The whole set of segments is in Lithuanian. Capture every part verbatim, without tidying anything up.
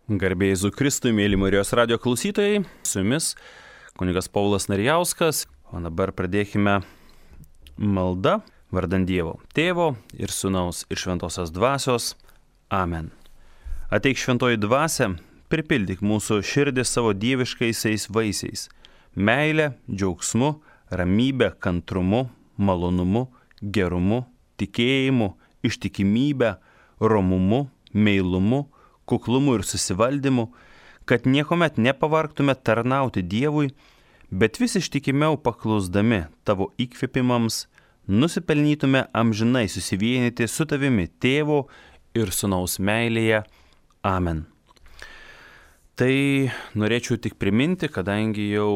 Garbė Jėzui Kristui, mėly Marijos radijo klausytojai, su jumis kunigas Paulius Narijauskas, o dabar pradėkime maldą vardan Dievo, Tėvo ir Sūnaus ir Šventosios Dvasios. Amen. Ateik Šventoji Dvasia, pripildyk mūsų širdį savo dieviškaisiais vaisiais - meilę, džiaugsmu, ramybę, kantrumu, malonumu, gerumu, tikėjimu, ištikimybę, romumu, meilumu, kuklumu ir susivaldymu, kad niekuomet nepavargtume tarnauti Dievui, bet vis ištikimiau paklusdami tavo įkvėpimams, nusipelnytume amžinai susivienyti su tavimi Tėvo ir Sūnaus meilėje. Amen. Tai norėčiau tik priminti, kadangi jau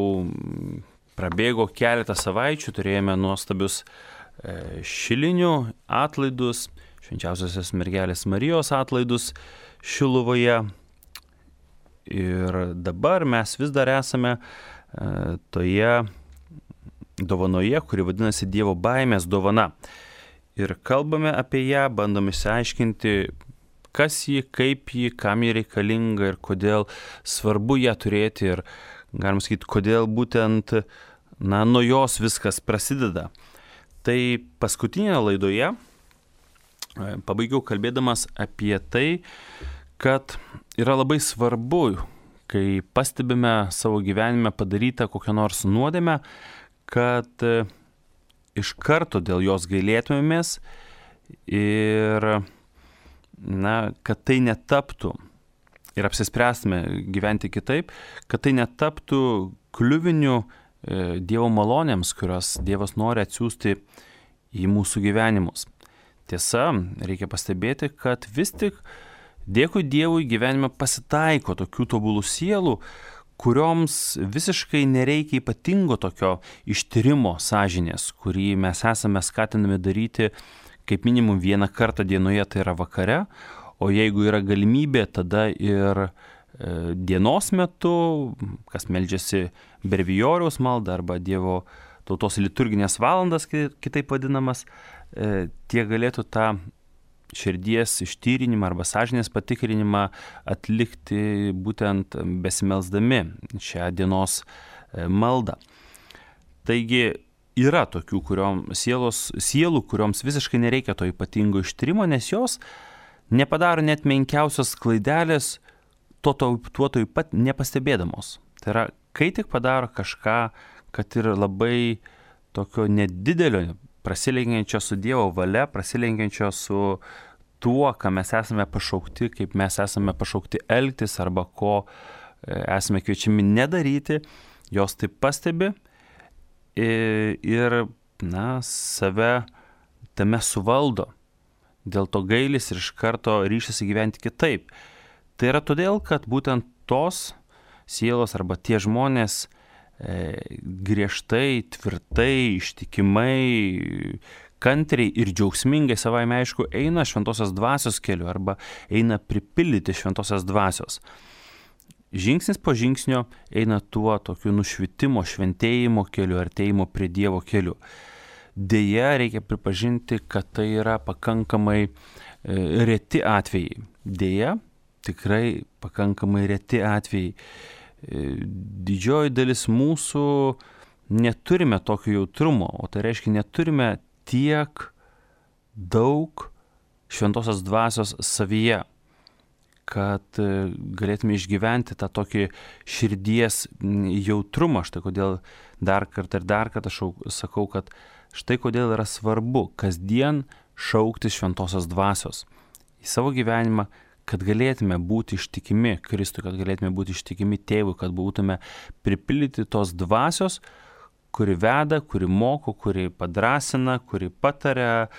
prabėgo keletą savaičių, turėjome nuostabius šilinių atlaidus, švenčiausiosios mergelės Marijos atlaidus Šiluvoje. Ir dabar mes vis dar esame e, toje dovanoje, kuri vadinasi Dievo baimės dovana. Ir kalbame apie ją, bandome išsiaiškinti, kas ji, kaip ji, kam ji reikalinga ir kodėl svarbu ją turėti. Ir galim sakyti, kodėl būtent na, nuo jos viskas prasideda. Tai paskutinėje laidoje pabaigiau kalbėdamas apie tai, kad yra labai svarbu, kai pastebime savo gyvenime padarytą kokią nors nuodėmę, kad iš karto dėl jos gailėtumėmės ir na, kad tai netaptų ir apsispręstume gyventi kitaip, kad tai netaptų kliuviniu Dievo malonėms, kurios Dievas nori atsiųsti į mūsų gyvenimus. Tiesa, reikia pastebėti, kad vis tik dėkui Dievui gyvenime pasitaiko tokių tobulų sielų, kurioms visiškai nereikia ypatingo tokio ištyrimo sąžinės, kurį mes esame skatinami daryti kaip minimum vieną kartą dienoje, tai yra vakare, o jeigu yra galimybė, tada ir e, dienos metu, kas meldžiasi brevijoriaus maldą arba Dievo tautos liturginės valandas, kitaip vadinamas, tie galėtų tą širdies ištyrinimą arba sąžinės patikrinimą atlikti būtent besimelsdami šią dienos maldą. Taigi yra tokių kuriom, sielos, sielų, kurioms visiškai nereikia to ypatingo ištyrimo, nes jos nepadaro net menkiausios klaidelės, tuo tuo pat nepastebėdamos. Tai yra, kai tik padaro kažką, kad ir labai tokio nedidelio, prasilenkiančio su Dievo valia, prasilenkiančio su tuo, ką mes esame pašaukti, kaip mes esame pašaukti elgtis arba ko esame kviečiami nedaryti, jos taip pastebi ir na, save tame suvaldo. Dėl to gailis ir iš karto ryšasi gyventi kitaip. Tai yra todėl, kad būtent tos sielos arba tie žmonės griežtai, tvirtai, ištikimai, kantriai ir džiaugsmingai savaime aišku eina Šventosios Dvasios keliu arba eina pripildyti Šventosios Dvasios. Žingsnis po žingsnio eina tuo tokiu nušvitimo, šventėjimo keliu, artėjimo prie Dievo keliu. Deja, reikia pripažinti, kad tai yra pakankamai reti atvejai. Deja, tikrai pakankamai reti atvejai. Didžioji dalis mūsų neturime tokio jautrumo, o tai reiškia neturime tiek daug Šventosios Dvasios savyje, kad galėtume išgyventi tą tokį širdies jautrumą. Štai kodėl dar kartą ir dar kartą šau, sakau, kad štai kodėl yra svarbu kasdien šaukti Šventosios Dvasios į savo gyvenimą, kad galėtume būti ištikimi Kristui, kad galėtume būti ištikimi Tėvui, kad būtume pripildyti tos dvasios, kuri veda, kuri moko, kuri padrasina, kuri pataria,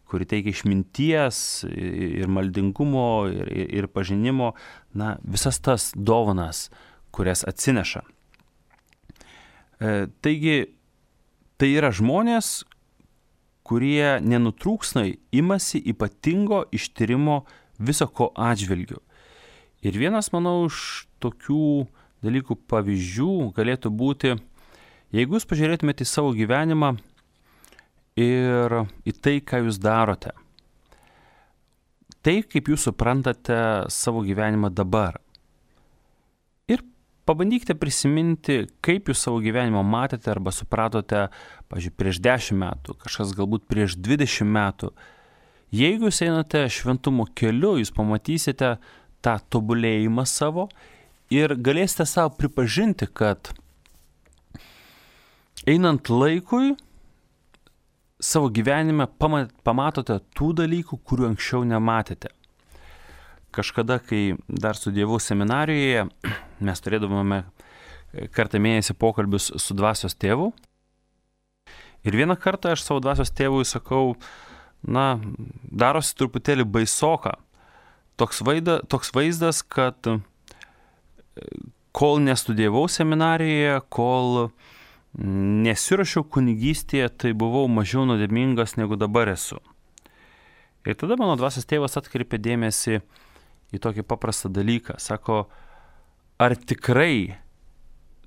kuri teikia išminties ir maldingumo ir, ir, ir pažinimo, na, visas tas dovanas, kurias atsineša. E, taigi, tai yra žmonės, kurie nenutrūksnai imasi ypatingo ištyrimo viso ko atžvilgiu. Ir vienas, manau, iš tokių dalykų pavyzdžių galėtų būti, jeigu jūs pažiūrėtumėte į savo gyvenimą ir į tai, ką jūs darote. Tai, kaip jūs suprantate savo gyvenimą dabar. pabandykite prisiminti, kaip jūs savo gyvenimą matėte arba supratote, pavyzdžiui, prieš dešimt metų, kažkas galbūt prieš dvidešimt metų. Jeigu jūs einate šventumo keliu, jūs pamatysite tą tobulėjimą savo ir galėsite savo pripažinti, kad einant laikui, savo gyvenime pamatote tų dalykų, kurių anksčiau nematėte. Kažkada, kai dar studijavau seminarijoje, mes turėdavome kartą mėnesį pokalbius su dvasios tėvu. Ir vieną kartą aš savo dvasios tėvui sakau, na, darosi truputėlį baisoka. Toks, vaida, toks vaizdas, kad kol nestudijavau seminarijoje, kol nesirašiau kunigystėje, tai buvau mažiau nuodėmingas negu dabar esu. Ir tada mano dvasios tėvas atkreipė dėmesį į tokį paprastą dalyką. Sako, ar tikrai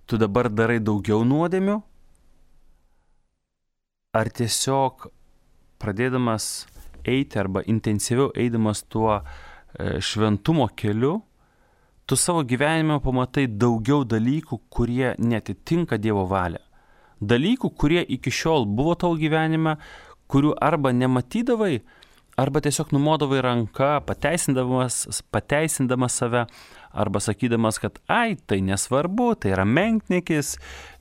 tu dabar darai daugiau nuodėmių? Ar tiesiog pradėdamas eiti arba intensyviau eidamas tuo šventumo keliu, tu savo gyvenime pamatai daugiau dalykų, kurie netitinka Dievo valią. Dalykų, kurie iki šiol buvo tavo gyvenime, kurių arba nematydavai, arba tiesiog numodavai ranką, pateisindamas, pateisindamas save, arba sakydamas, kad ai, tai nesvarbu, tai yra menkniekis,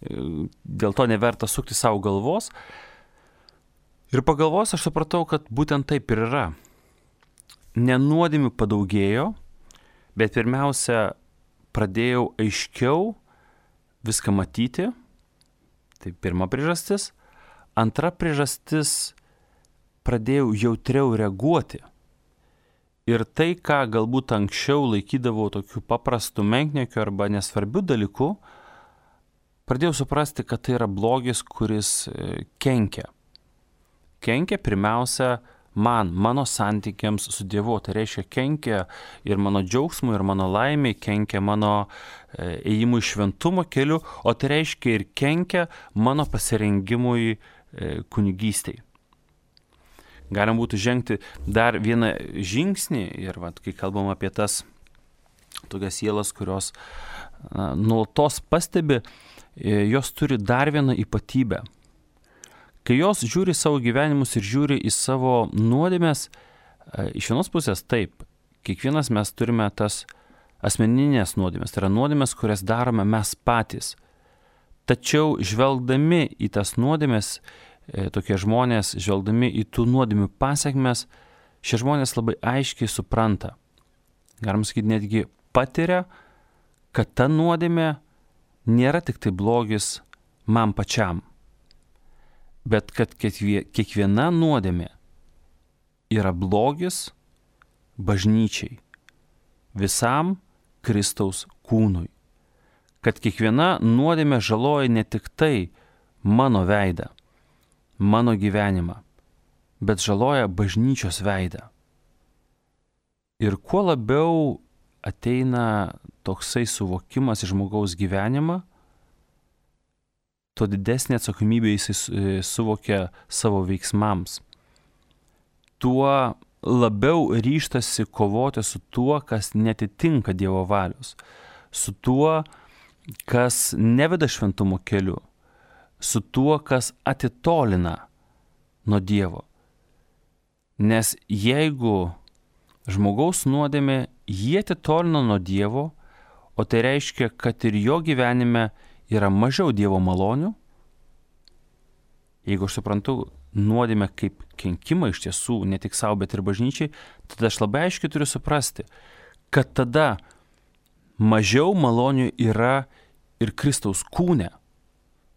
dėl to neverta sukti savo galvos. Ir pagalvos aš supratau, kad būtent taip ir yra. Nenuodėmių padaugėjo, bet pirmiausia, pradėjau aiškiau viską matyti. Tai pirma priežastis. Antra priežastis, pradėjau jautriau reaguoti. Ir tai, ką galbūt anksčiau laikydavau tokių paprastų menkniekių arba nesvarbių dalykų, pradėjau suprasti, kad tai yra blogis, kuris kenkia. Kenkia pirmiausia man, mano santykiams su Dievu. Tai reiškia, kenkia ir mano džiaugsmui, ir mano laimiai, kenkia mano ėjimui šventumo keliu, o tai reiškia ir kenkia mano pasirengimui kunigystei. Galim būtų žengti dar vieną žingsnį ir vat, kai kalbam apie tas tokias sielas, kurios na, nuolatos pastebi, jos turi dar vieną ypatybę. Kai jos žiūri savo gyvenimus ir žiūri į savo nuodėmes, iš vienos pusės taip, kiekvienas mes turime tas asmeninės nuodėmes, tai yra nuodėmes, kurias darome mes patys. Tačiau žvelgdami į tas nuodėmes, tokie žmonės, žvelgdami į tų nuodėmių pasiekmes, šie žmonės labai aiškiai supranta, galim sakyti, netgi patiria, kad ta nuodėmė nėra tik tai blogis man pačiam, bet kad kiekviena nuodėmė yra blogis bažnyčiai, visam Kristaus kūnui, kad kiekviena nuodėmė žaloja ne tik tai mano veidą, mano gyvenimą, bet žaloja bažnyčios veidą. Ir kuo labiau ateina toksai suvokimas į žmogaus gyvenimą, tuo didesnė atsakomybė jisai suvokia savo veiksmams. Tuo labiau ryžtasi kovoti su tuo, kas netitinka Dievo valios, su tuo, kas neveda šventumo keliu, su tuo, kas atitolina nuo Dievo. Nes jeigu žmogaus nuodėmė jį atitolina nuo Dievo, o tai reiškia, kad ir jo gyvenime yra mažiau Dievo malonių, jeigu aš suprantu nuodėmę kaip kenkimą iš tiesų, ne tik savo, bet ir bažnyčiai, tada aš labai aiškiai turiu suprasti, kad tada mažiau malonių yra ir Kristaus kūne.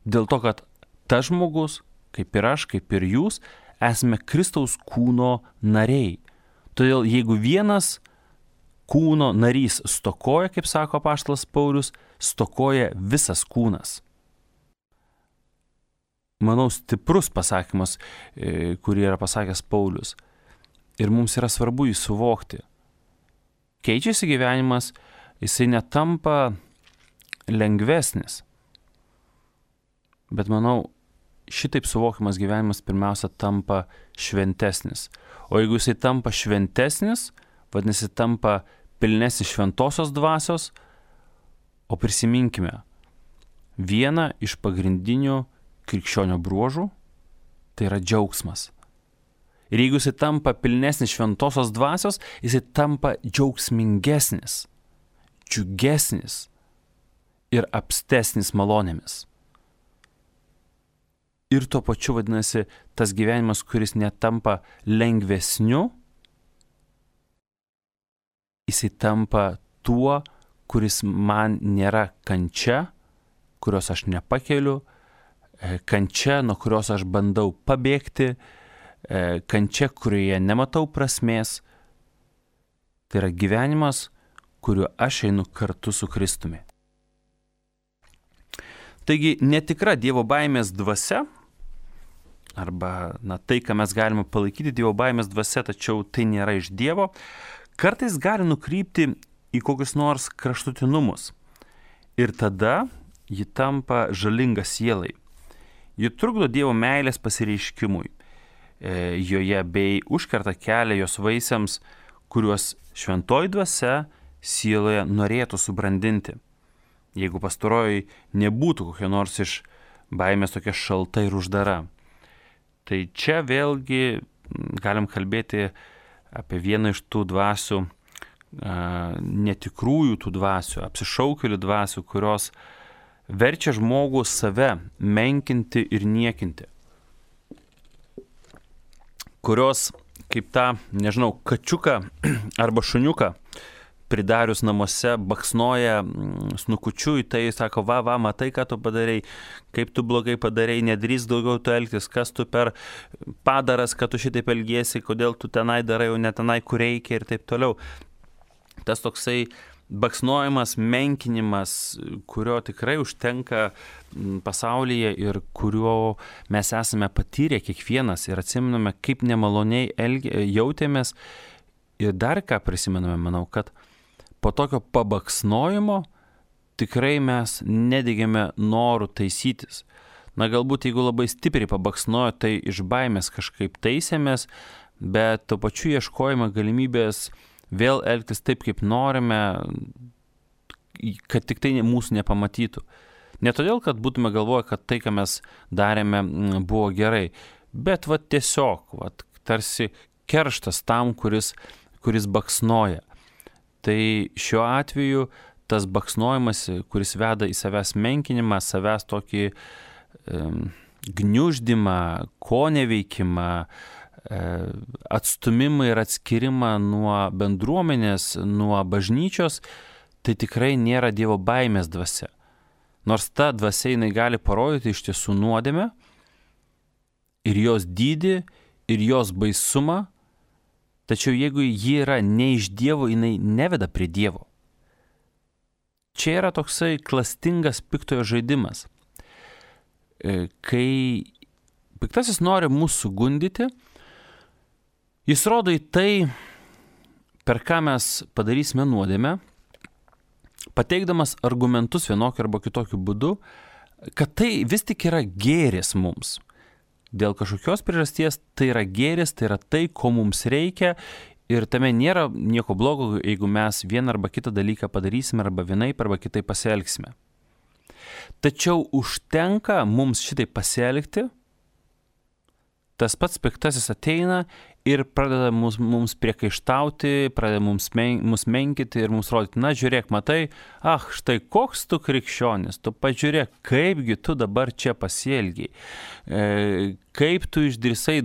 Dėl to, kad tas žmogus, kaip ir aš, kaip ir jūs, esame Kristaus kūno nariai. Todėl jeigu vienas kūno narys stokoja, kaip sako apaštalas Paulius, stokoja visas kūnas. Manau, stiprus pasakymas, kurį yra pasakęs Paulius. Ir mums yra svarbu jį suvokti. Keičiasi gyvenimas, jisai netampa lengvesnis. Bet manau, šitaip suvokiamas gyvenimas pirmiausia tampa šventesnis. O jeigu jisai tampa šventesnis, vadinasi, tampa pilnesnis šventosios dvasios, O prisiminkime, vieną iš pagrindinių krikščionio bruožų tai yra džiaugsmas. Ir jeigu jisai tampa pilnesnis šventosios dvasios, jisai tampa džiaugsmingesnis, džiugesnis ir apstesnis malonėmis. Ir tuo pačiu vadinasi, tas gyvenimas, kuris netampa lengvesniu, jisai tampa tuo, kuris man nėra kančia, kurios aš nepakeliu, kančia, nuo kurios aš bandau pabėgti, kančia, kurioje nematau prasmės. Tai yra gyvenimas, kuriuo aš einu kartu su Kristumi. Taigi netikra Dievo baimės dvasia, arba na, tai, ką mes galime palaikyti Dievo baimės dvasia, tačiau tai nėra iš Dievo, kartais gali nukrypti į kokius nors kraštutinumus. Ir tada ji tampa žalinga sielai. Ji trukdo Dievo meilės pasireiškimui e, joje bei užkerta kelią jos vaisiams, kuriuos šventoji dvasia sieloje norėtų subrandinti. Jeigu pastaroji nebūtų kokia nors iš baimės tokia šalta ir uždara. Tai čia vėlgi galim kalbėti apie vieną iš tų dvasių, netikrųjų tų dvasių, apsišaukėlių dvasių, kurios verčia žmogų save menkinti ir niekinti. Kurios kaip tą, nežinau, kačiuką arba šuniuką pridarius namuose baksnoja snukučiu į tai, sako, va, va, matai, ką tu padarei, kaip tu blogai padarei, nedrįsk daugiau tu elgtis, kas tu per padaras, kad tu šitaip elgiesi, kodėl tu tenai darai, o ne tenai, kur reikia ir taip toliau. Tas toksai baksnojimas, menkinimas, kurio tikrai užtenka pasaulyje ir kurio mes esame patyrę kiekvienas ir atsimename, kaip nemaloniai elgi, jautėmės. Ir dar ką prisimename, manau, kad po tokio pabaksnojimo tikrai mes nedegėme norų taisytis. Na, galbūt jeigu labai stipriai pabaksnojo, tai iš baimės kažkaip taisėmės, bet tuo pačiu ieškojame galimybės vėl elgtis taip, kaip norime, kad tik tai mūsų nepamatytų. Ne todėl, kad būtume galvoję, kad tai, ką mes darėme, buvo gerai, bet va tiesiog, va, tarsi kerštas tam, kuris, kuris baksnoja. Tai šiuo atveju tas baksnojimas, kuris veda į savęs menkinimą, savęs tokį um, gniuždymą, koneveikimą, atstumimą ir atskirimą nuo bendruomenės, nuo bažnyčios, tai tikrai nėra Dievo baimės dvasia. Nors ta dvasia jinai gali parodyti iš tiesų nuodėmę ir jos dydį, ir jos baisumą, tačiau jeigu ji yra ne iš Dievo, jinai neveda prie Dievo. Čia yra toksai klastingas piktojo žaidimas. Kai piktasis nori mūsų gundyti, jis rodo į tai, per ką mes padarysime nuodėmę, pateikdamas argumentus vienokiu arba kitokiu būdu, kad tai vis tik yra gėris mums. Dėl kažkokios priežasties tai yra gėris, tai yra tai, ko mums reikia ir tame nėra nieko blogo, jeigu mes vieną arba kitą dalyką padarysime arba vienaip arba kitaip pasielgsime. Tačiau užtenka mums šitai pasielgti, tas pats piktasis ateina ir pradeda mums, mums priekaištauti, pradeda mums, men, mums menkyti ir mums rodyti, na žiūrėk, matai, ah, štai koks tu krikščionis, tu pažiūrėk, kaipgi tu dabar čia pasielgiai, e, kaip tu išdrįsai,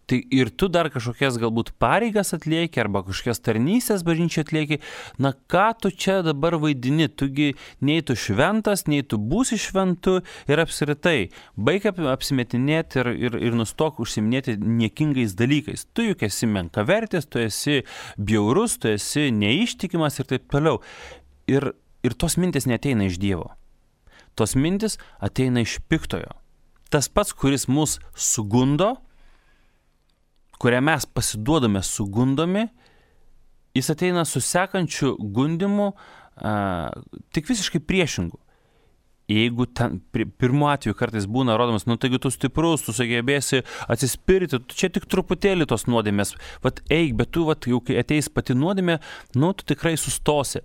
tai ir tu dar kažkokias galbūt pareigas atlieki arba kažkokias tarnystės bažnyčiai atlieki, na ką tu čia dabar vaidini, tugi nei tu šventas, nei tu būsi šventu ir apskritai, baik apsimetinėti ir, ir, ir nustok užsiminėti niekingais dalykais. Tu juk esi menkavertis, tu esi bjaurus, tu esi neištikimas ir taip toliau. Ir, ir tos mintis neateina iš Dievo. Tos mintis ateina iš piktojo. Tas pats, kuris mus sugundo, kurią mes pasiduodame sugundomi, jis ateina su sekančiu gundimu, a, tik visiškai priešingu. Jeigu ten, pirmu atveju kartais būna rodomas, nu taigi tu stiprus, tu sugebėsi atsispirti, tu čia tik truputėlį tos nuodėmės, vat eik, bet tu, vat, jau kai ateis pati nuodėmė, nu tu tikrai sustosi.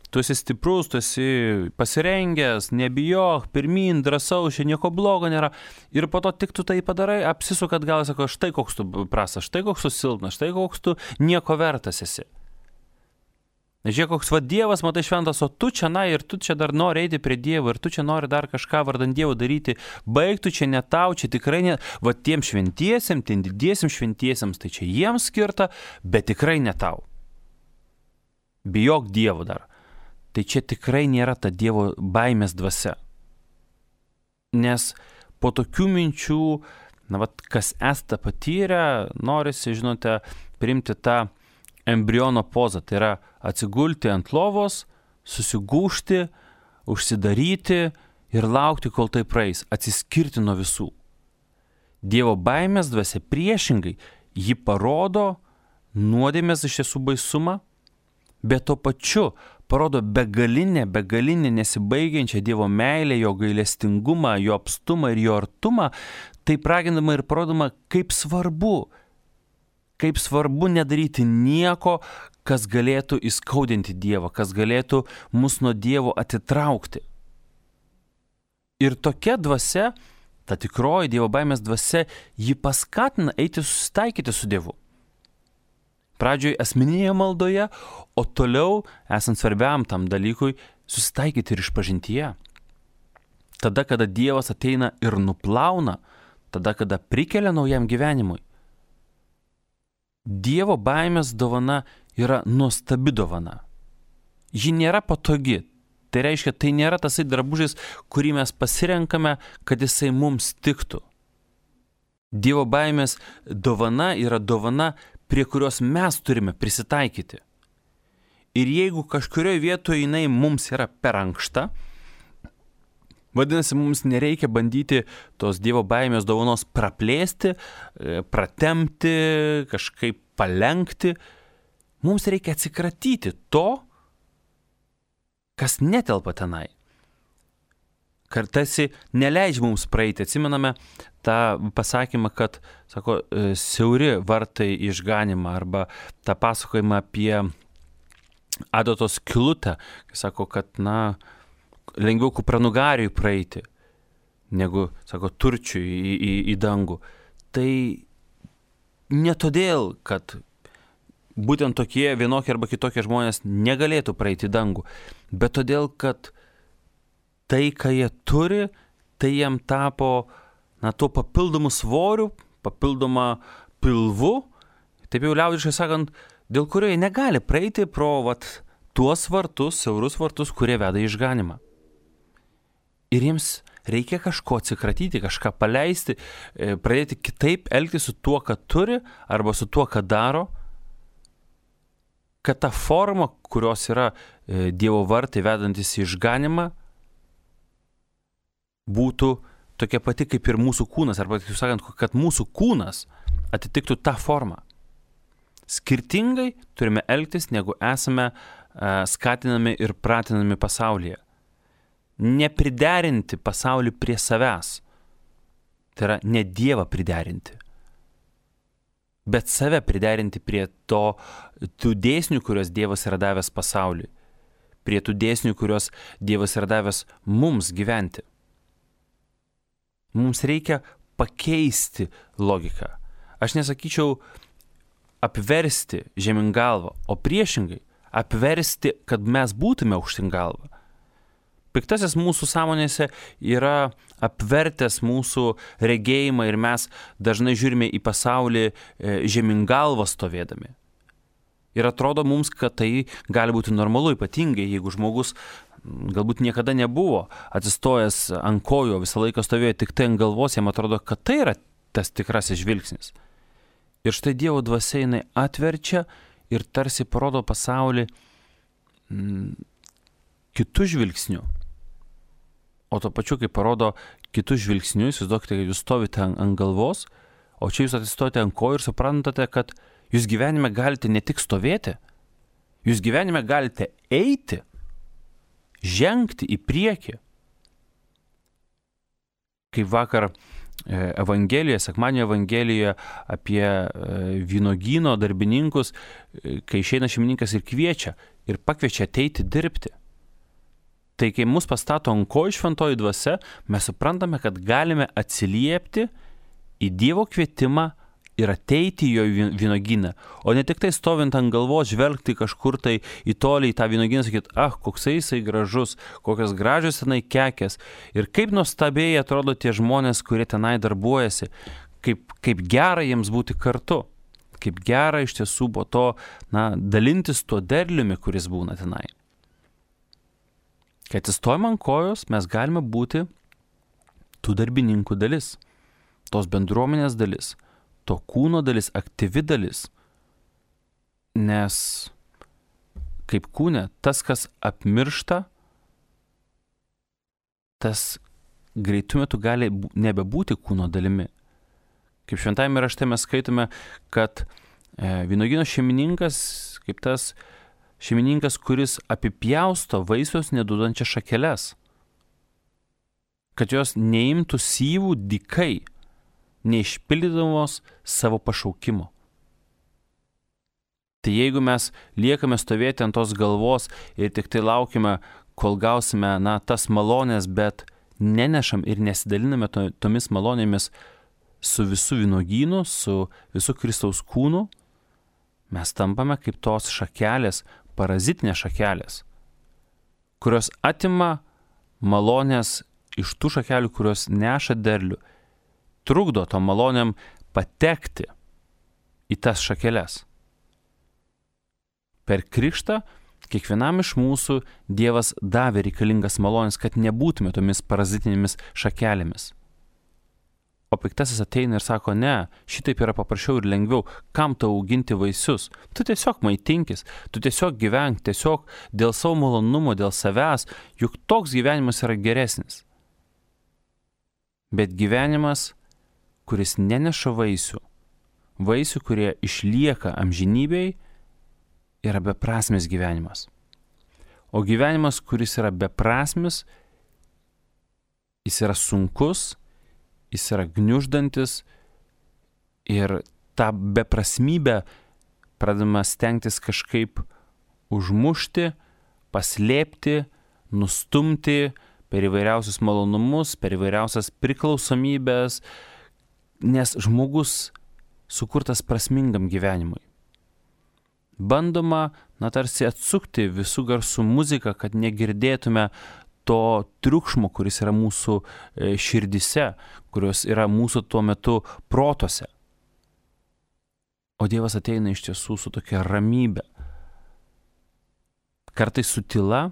tu esi stiprus, tu esi pasirengęs, nebijok, pirmin, drąsau, čia nieko blogo nėra. Ir po to tik tu tai padarai, apsisukat gal, sako, štai koks tu prastas, štai koks tu silpnas, štai koks tu nieko vertas esi. Žiūrėk, koks va Dievas, matai šventas, o tu čia, na, ir tu čia dar nori eiti prie Dievo, ir tu čia nori dar kažką vardant Dievo daryti, baigtų čia ne tau, čia tikrai ne, va tiem šventiesiems, tiem didiesiems šventiesiems, tai čia jiems skirta, bet tikrai ne tau. Bijok Dievo dar. Tai čia tikrai nėra ta Dievo baimės dvasia. Nes po tokių minčių, na, va, kas esate patyrę, norisi, žinote, priimti tą embriono pozą, tai yra atsigulti ant lovos, susigūžti, užsidaryti ir laukti, kol tai praeis, atsiskirti nuo visų. Dievo baimės dvasia priešingai, ji parodo nuodėmės iš tiesų baisumą, bet tuo pačiu parodo begalinę, begalinę nesibaigiančią Dievo meilę, jo gailestingumą, jo apstumą ir jo artumą, tai ragindama ir parodoma, kaip svarbu, kaip svarbu nedaryti nieko, kas galėtų įskaudinti Dievą, kas galėtų mus nuo Dievo atitraukti. Ir tokia dvasia, ta tikroji Dievo baimės dvasia, ji paskatina eiti susitaikyti su Dievu. Pradžioj asmeninėje maldoje, o toliau, esant svarbiam tam dalykui, susitaikyti ir išpažintyje. Tada, kada Dievas ateina ir nuplauna, tada, kada prikelia naujam gyvenimui. Dievo baimės dovana yra nuostabi dovana. Ji nėra patogi. Tai reiškia, tai nėra tasai drabužis, kurį mes pasirenkame, kad jisai mums tiktų. Dievo baimės dovana yra dovana, prie kurios mes turime prisitaikyti. Ir jeigu kažkurioje vietoje jinai mums yra per ankšta, vadinasi, mums nereikia bandyti tos Dievo baimės dovanos praplėsti, pratempti, kažkaip palenkti. Mums reikia atsikratyti to, kas netelpa tenai. Kartasi neleidžia mums praeiti. Atsimename tą pasakymą, kad, sako, siauri vartai į išganimą, arba tą pasakojimą apie adatos skylutę, kai sako, kad, na, lengviau kupranugariui praeiti, negu, sako, turčiui į, į, į dangų. Tai ne todėl, kad būtent tokie vienokie arba kitokie žmonės negalėtų praeiti į dangų, bet todėl, kad tai, ką jie turi, tai jiem tapo, na, tuo papildomu svoriu, papildoma pilvu, taip jau liaudiškai sakant, dėl kurio jie negali praeiti pro, vat, tuos vartus, siaurus vartus, kurie veda į išganimą. Ir jiems reikia kažko atsikratyti, kažką paleisti, pradėti kitaip elgtis su tuo, ką turi, arba su tuo, ką daro, kad ta forma, kurios yra Dievo vartai vedantis į išganimą, būtų tokia pati kaip ir mūsų kūnas, arba, kaip sakant, kad mūsų kūnas atitiktų tą formą. Skirtingai turime elgtis, negu esame skatinami ir pratinami pasaulyje. Nepriderinti pasaulį prie savęs. Tai yra ne Dievą priderinti, bet save priderinti prie to, tų dėsnių, kurios Dievas yra davęs pasauliui, prie tų dėsnių, kurios Dievas yra davęs mums gyventi. Mums reikia pakeisti logiką. Aš nesakyčiau apversti žemyn galvą, o priešingai apversti, kad mes būtume aukštyn galvą. Piktasis mūsų sąmonėse yra apvertęs mūsų regėjimą ir mes dažnai žiūrime į pasaulį žemyn galvą stovėdami. Ir atrodo mums, kad tai gali būti normalu, ypatingai jeigu žmogus galbūt niekada nebuvo atsistojęs ant kojų, visą laiką stovėjo tik tai ant galvos, jam atrodo, kad tai yra tas tikrasis žvilgsnis. Ir štai Dievo dvasia jinai atverčia ir tarsi parodo pasaulį mm, kitų žvilgsnių. O to pačiu, kai parodo kitus žvilgsnius, įsivaizduokite, kad jūs stovite ant, ant galvos, o čia jūs atsistojate ant kojų ir suprantate, kad jūs gyvenime galite ne tik stovėti, jūs gyvenime galite eiti, žengti į priekį. Kaip vakar Evangelijoje, sekmadienio Evangelijoje apie vynogyno darbininkus, kai išeina šeimininkas ir kviečia, ir pakviečia ateiti dirbti. Tai kai mus pastato ant kojų šventoji dvasia, mes suprantame, kad galime atsiliepti į Dievo kvietimą ir ateiti į jo vynuogyną, o ne tik tai stovint ant galvos, žvelgti kažkur tai į tolį į tą vynuogyną, sakyti, ah, koksai jisai gražus, kokios gražios tenai kekės ir kaip nuostabiai atrodo tie žmonės, kurie tenai darbuojasi, kaip, kaip gera jiems būti kartu, kaip gera iš tiesų po to, na, dalintis tuo derliumi, kuris būna tenai. Kai atsistojame ant kojos, mes galime būti tų darbininkų dalis, tos bendruomenės dalis, to kūno dalis, aktyvi dalis. Nes kaip kūne, tas, kas apmiršta, tas greitų metų gali nebebūti kūno dalimi. Kaip šventajame rašte mes skaitome, kad e, vynuogyno šeimininkas, kaip tas šeimininkas, kuris apipjausto vaisius neduodančias šakeles, kad jos neimtų syvų dykai, neišpildydamos savo pašaukimo. Tai jeigu mes liekame stovėti ant tos galvos ir tik tai laukime, kol gausime, na, tas malonės, bet nenešam ir nesidaliname to, tomis malonėmis su visų vynuogynu, su visų Kristaus kūnu, mes tampame kaip tos šakelės, parazitinės šakelės, kurios atima malonės iš tų šakelių, kurios neša derlių, trukdo to malonėm patekti į tas šakeles. Per krikštą kiekvienam iš mūsų Dievas davė reikalingas malonės, kad nebūtume tomis parazitinėmis šakelėmis. O piktasis ateina ir sako, ne, šitaip yra paprasčiau ir lengviau, kam tau auginti vaisius? Tu tiesiog maitinkis, tu tiesiog gyvenk, tiesiog dėl savo malonumo, dėl savęs, juk toks gyvenimas yra geresnis. Bet gyvenimas, kuris neneša vaisių, vaisių, kurie išlieka amžinybėj, yra beprasmis gyvenimas. O gyvenimas, kuris yra beprasmis, jis yra sunkus, jis yra gniuždantis ir tą beprasmybę pradedama stengtis kažkaip užmušti, paslėpti, nustumti per įvairiausius malonumus, per įvairiausias priklausomybės, nes žmogus sukurtas prasmingam gyvenimui. Bandoma, na, tarsi atsukti visų garsų muziką, kad negirdėtume to triukšmo, kuris yra mūsų širdise, kurios yra mūsų tuo metu protuose. O Dievas ateina iš tiesų su tokia ramybė. Kartais su tyla,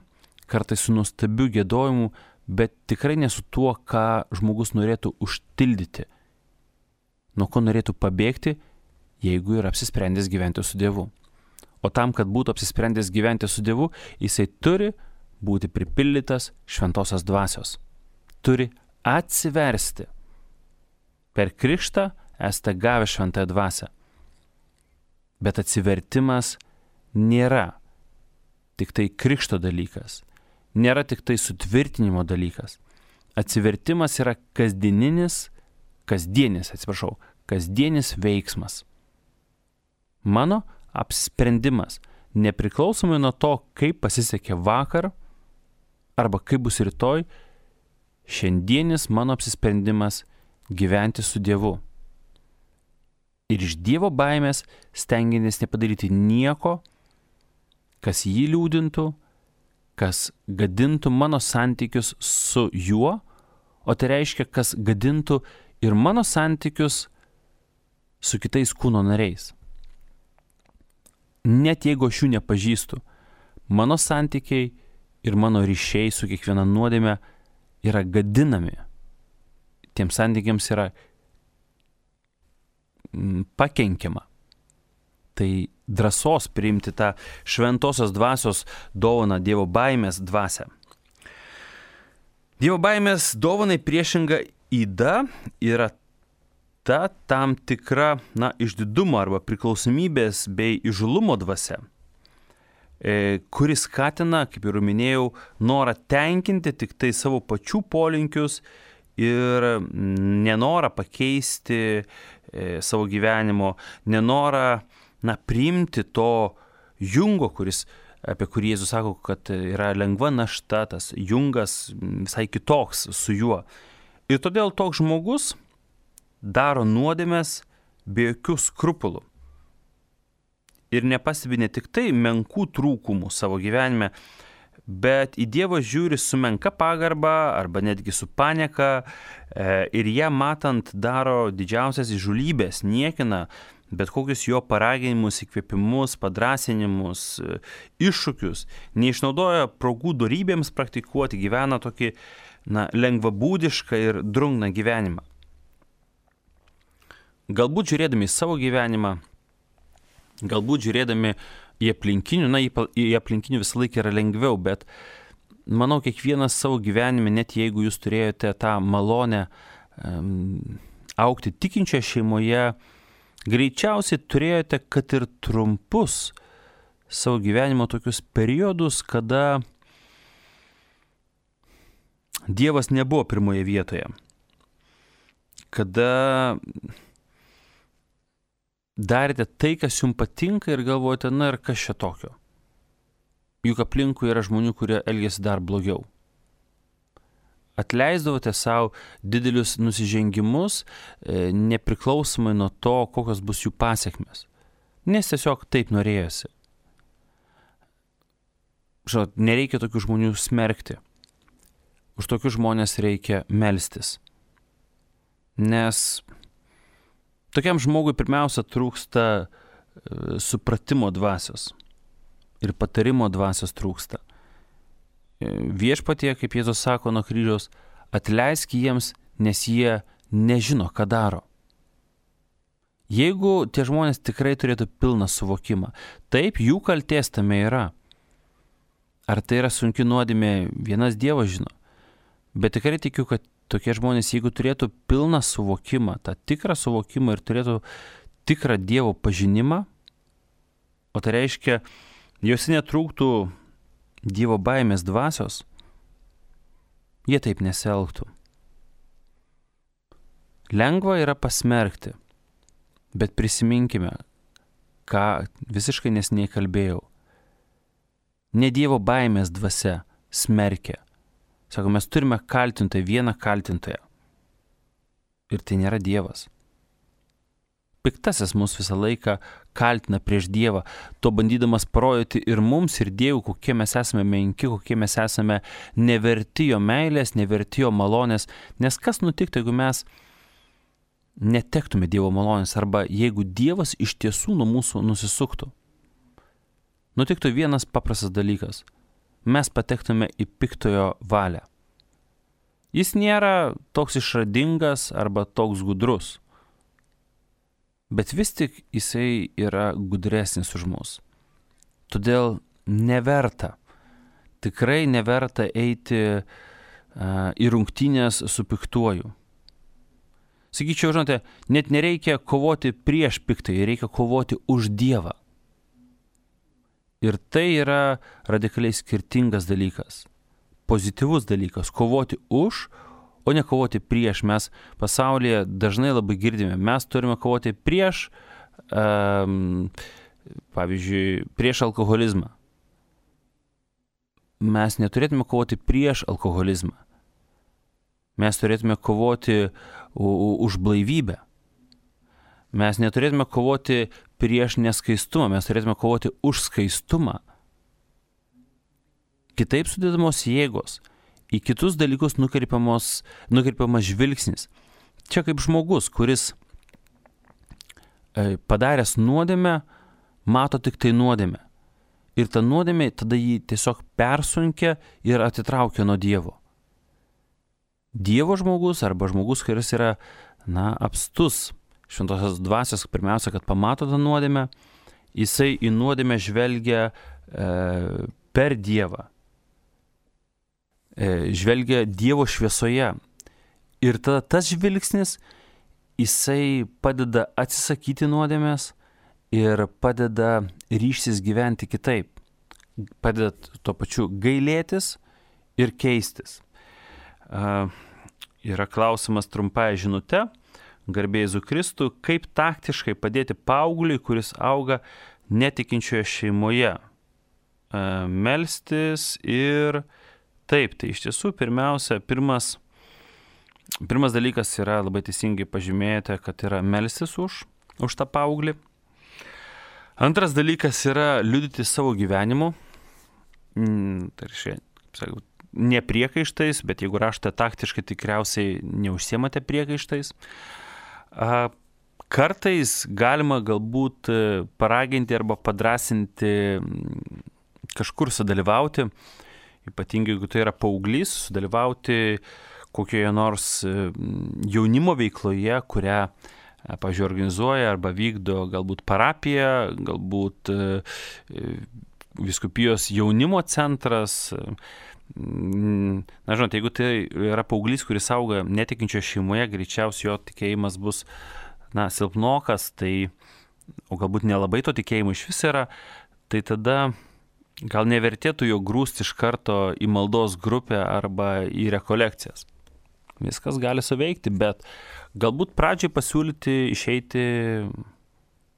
kartais su nuostabiu giedojimu, bet tikrai ne su tuo, ką žmogus norėtų užtildyti, nuo ko norėtų pabėgti, jeigu yra apsisprendęs gyventi su Dievu. O tam, kad būtų apsisprendęs gyventi su Dievu, jisai turi būti pripildytas šventosios dvasios. Turi atsiversti. Per krikštą esate gavę šventąją dvasią. Bet atsivertimas nėra tik tai krikšto dalykas. Nėra tik tai sutvirtinimo dalykas. Atsivertimas yra kasdieninis, kasdienis, atsiprašau, kasdienis veiksmas. Mano apsisprendimas, nepriklausomai nuo to, kaip pasisekė vakar arba kaip bus rytoj, šiandienis mano apsisprendimas gyventi su Dievu. Ir iš Dievo baimės stengiantis nepadaryti nieko, kas jį liūdintų, kas gadintų mano santykius su juo, o tai reiškia, kas gadintų ir mano santykius su kitais kūno nariais. Net jeigu aš jų nepažįstu, mano santykiai ir mano ryšiai su kiekviena nuodėme yra gadinami. Tiems santykiams yra pakenkiama. Tai drąsos priimti tą šventosios dvasios dovaną, Dievo baimės dvasią. Dievo baimės dovanai priešinga yda yra ta tam tikra, na, išdidumo arba priklausomybės bei įžūlumo dvasia, e, kuris skatina, kaip ir minėjau, norą tenkinti tik tai savo pačių polinkius ir nenorą pakeisti e, savo gyvenimo, nenorą, na, priimti to jungo, kuris apie kurį Jėzus sako, kad yra lengva našta, tas jungas visai kitoks su juo. Ir todėl toks žmogus daro nuodėmes be jokių skrupulų. Ir nepastebi ne tik tai menkų trūkumų savo gyvenime, bet į Dievą žiūri su menka pagarba arba netgi su panieka ir ją matant daro didžiausias įžūlybės, niekina bet kokius jo paraginimus, įkvėpimus, padrasinimus, iššūkius, neišnaudoja progų dorybėms praktikuoti, gyvena tokį na, lengvabūdišką ir drungną gyvenimą. Galbūt žiūrėdami į savo gyvenimą, galbūt žiūrėdami į aplinkinių, na, į aplinkinių visą laiką yra lengviau, bet manau, kiekvienas savo gyvenime, net jeigu jūs turėjote tą malonę um, augti tikinčioje šeimoje, greičiausiai turėjote, kad ir trumpus savo gyvenimo tokius periodus, kada Dievas nebuvo pirmoje vietoje, kada darėte tai, kas jums patinka ir galvojate, na ir kas čia tokio. Juk aplinkui yra žmonių, kurie elgiasi dar blogiau. Atleisdavote savo didelius nusižengimus, nepriklausomai nuo to, kokios bus jų pasiekmes. Nes tiesiog taip norėjosi. Žinot, nereikia tokių žmonių smerkti. Už tokius žmonės reikia melstis. Nes tokiam žmogui pirmiausia trūksta supratimo dvasios ir patarimo dvasios trūksta. Viešpatie, kaip Jėzus sako nuo kryžiaus, atleisk jiems, nes jie nežino, ką daro. Jeigu tie žmonės tikrai turėtų pilną suvokimą, taip, jų kaltės tame yra. Ar tai yra sunki nuodėmė, vienas Dievas žino. Bet tikrai tikiu, kad tokie žmonės, jeigu turėtų pilną suvokimą, tą tikrą suvokimą ir turėtų tikrą Dievo pažinimą, o tai reiškia, jose netrūktų Dievo baimės dvasios, jie taip nesielgtų. Lengva yra pasmerkti, bet prisiminkime, ką visiškai neseniai kalbėjau. Ne Dievo baimės dvasia smerkia. Sako, mes turime kaltintoją, vieną kaltintoją. Ir tai nėra Dievas. Piktasis mus visą laiką kaltina prieš Dievą, to bandydamas parodyti ir mums, ir Dievui, kokie mes esame menki, kokie mes esame neverti jo meilės, neverti jo malonės. Nes kas nutiktų, jeigu mes netektume Dievo malonės, arba jeigu Dievas iš tiesų nuo mūsų nusisuktų? Nutiktų vienas paprastas dalykas. Mes patektume į piktojo valią. Jis nėra toks išradingas arba toks gudrus, bet vis tik jisai yra gudresnis už mus. Todėl neverta, tikrai neverta eiti uh, į rungtynės su piktuoju. Sakyčiau, žinote, net nereikia kovoti prieš piktąjį, reikia kovoti už Dievą. Ir tai yra radikaliai skirtingas dalykas, pozityvus dalykas, kovoti už, o ne kovoti prieš. Mes pasaulyje dažnai labai girdime, mes turime kovoti prieš, um, pavyzdžiui, prieš alkoholizmą. Mes neturėtume kovoti prieš alkoholizmą. Mes turėtume kovoti už blaivybę. Mes neturėtume kovoti prieš neskaistumą, mes turėtume kovoti už skaistumą. Kitaip sudedamos jėgos, į kitus dalykus nukreipiamas žvilgsnis. Čia kaip žmogus, kuris padaręs nuodėmę, mato tik tai nuodėmę. Ir ta nuodėmė tada jį tiesiog persunkia ir atitraukia nuo Dievo. Dievo žmogus arba žmogus, kuris yra, na, apstus šventosios dvasios, pirmiausia, kad pamato tą nuodėmę, jisai į nuodėmę žvelgia e, per Dievą. E, žvelgia Dievo šviesoje. Ir tada tas žvilgsnis, jisai padeda atsisakyti nuodėmės ir padeda ryžtis gyventi kitaip. Padeda tuo pačiu gailėtis ir keistis. E, yra klausimas trumpai žinute. Garbė Jėzui Kristui, kaip taktiškai padėti paaugliui, kuris auga netikinčioje šeimoje. melstis ir taip, tai iš tiesų pirmiausia, pirmas, pirmas dalykas yra labai teisingai pažymėti, kad yra melstis už, už tą paauglį. Antras dalykas yra liudyti savo gyvenimu. Tai reiškia, ne priekaištais, bet jeigu rašote taktiškai, tikriausiai neužsiemate priekaištais. Kartais galima galbūt paraginti arba padrasinti kažkur sudalyvauti, ypatingai jeigu tai yra paauglys, sudalyvauti kokioje nors jaunimo veikloje, kurią, pavyzdžiui, organizuoja arba vykdo galbūt parapija, galbūt vyskupijos jaunimo centras. Na, žinot, jeigu tai yra paauglys, kuris auga netikinčio šeimoje, greičiausiai jo tikėjimas bus, na, silpnokas, tai, o galbūt nelabai to tikėjimo iš vis yra, tai tada gal nevertėtų jo grūsti iš karto į maldos grupę arba į rekolekcijas. Viskas gali suveikti, bet galbūt pradžiai pasiūlyti išeiti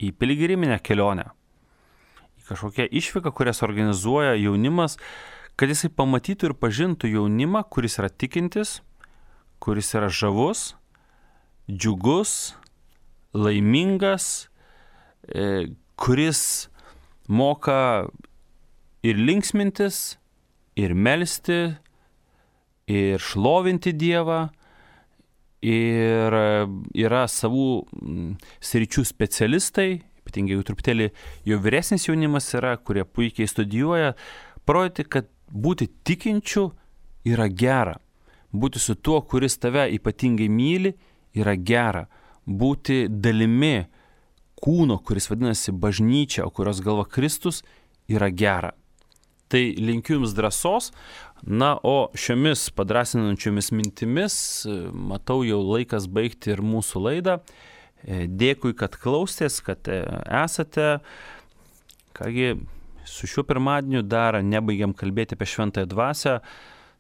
į piligriminę kelionę, į kažkokią išvyką, kurias organizuoja jaunimas, kad jisai pamatytų ir pažintų jaunimą, kuris yra tikintis, kuris yra žavus, džiugus, laimingas, kuris moka ir linksmintis, ir melsti, ir šlovinti Dievą, ir yra savų sričių specialistai, ypatingai jau truputėlį jau vyresnis jaunimas yra, kurie puikiai studijuoja, parodyti, kad būti tikinčiu yra gera. Būti su tuo, kuris tave ypatingai myli, yra gera. Būti dalimi kūno, kuris vadinasi bažnyčia, o kurios galva Kristus, yra gera. Tai linkiu jums drąsos. Na, o šiomis padrasinančiomis mintimis, matau jau laikas baigti ir mūsų laidą. Dėkui, kad klausėtės, kad esate. Kągi, su šiuo pirmadieniu dar nebaigiam kalbėti apie šventąją dvasią.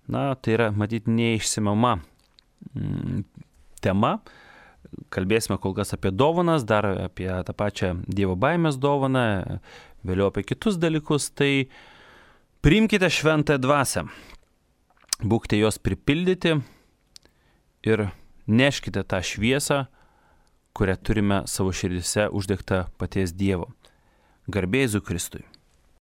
Na, tai yra, matyti, neišsemiama tema. Kalbėsime kol kas apie dovanas, dar apie tą pačią Dievo baimės dovaną, vėliau apie kitus dalykus. Tai priimkite šventąją dvasią, būkite jos pripildyti ir neškite tą šviesą, kurią turime savo širdise uždegtą paties Dievo. Garbė Jėzui Kristui.